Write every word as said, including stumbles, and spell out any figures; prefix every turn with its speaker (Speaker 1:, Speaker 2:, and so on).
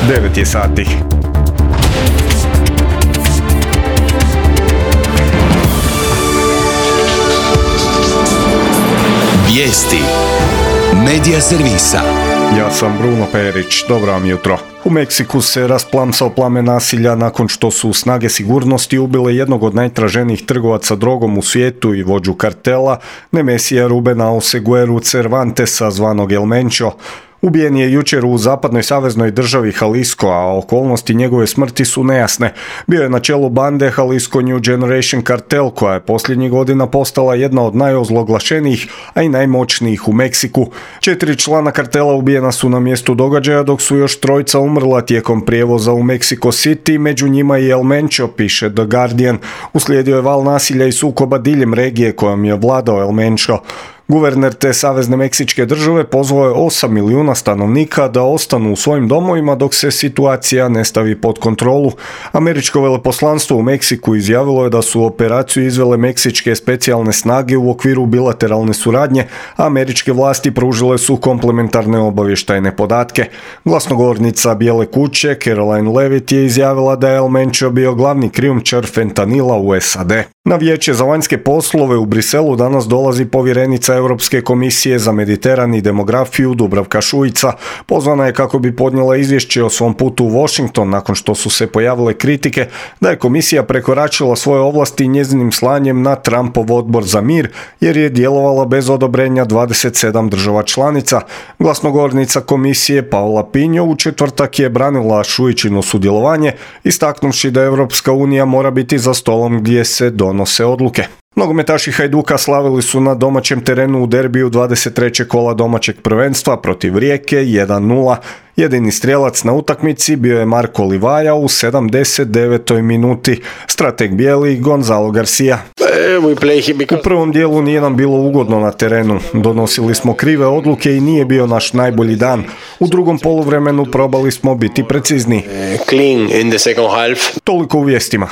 Speaker 1: devet je sati.
Speaker 2: Vijesti Medija servisa.
Speaker 1: Ja sam Bruno Perić, dobro vam jutro. U Meksiku se rasplamsao plamen nasilja nakon što su snage sigurnosti ubile jednog od najtraženijih trgovaca drogom u svijetu i vođu kartela, Nemesija Rubena Osegueru Cervantesa, zvanog El Mencho. Ubijen je jučer u zapadnoj saveznoj državi Jalisco, a okolnosti njegove smrti su nejasne. Bio je na čelu bande Jalisco New Generation Cartel, koja je posljednjih godina postala jedna od najozloglašenijih, a i najmoćnijih u Meksiku. Četiri člana kartela ubijena su na mjestu događaja, dok su još trojica umrla tijekom prijevoza u Mexico City, među njima i El Mencho, piše The Guardian. Uslijedio je val nasilja i sukoba diljem regije kojom je vladao El Mencho. Guverner te savezne meksičke države pozvao je osam milijuna stanovnika da ostanu u svojim domovima dok se situacija ne stavi pod kontrolu. Američko veleposlanstvo u Meksiku izjavilo je da su operaciju izvele meksičke specijalne snage u okviru bilateralne suradnje, a američke vlasti pružile su komplementarne obavještajne podatke. Glasnogovornica Bijele kuće Caroline Levitt je izjavila da je El Mencho bio glavni krijumčar fentanila u S A D. Na vijeće za vanjske poslove u Briselu danas dolazi povjerenica Europske komisije za Mediteran i demografiju Dubravka Šuica. Pozvana je kako bi podnijela izvješće o svom putu u Washington nakon što su se pojavile kritike da je komisija prekoračila svoje ovlasti njezinim slanjem na Trumpov odbor za mir jer je djelovala bez odobrenja dvadeset sedam država članica. Glasnogovornica komisije Paola Pinho u četvrtak je branila Šuičino sudjelovanje, istaknuvši da Europska unija mora biti za stolom gdje se donose odluke. Nogometaši Hajduka slavili su na domaćem terenu u derbiju dvadeset trećeg kola domaćeg prvenstva protiv Rijeke jedan nula. Jedini strijelac na utakmici bio je Marko Livaja u sedamdeset devetoj minuti. Strateg bijeli Gonzalo Garcia. U prvom dijelu nije nam bilo ugodno na terenu. Donosili smo krive odluke i nije bio naš najbolji dan. U drugom poluvremenu probali smo biti precizni. Toliko u vijestima.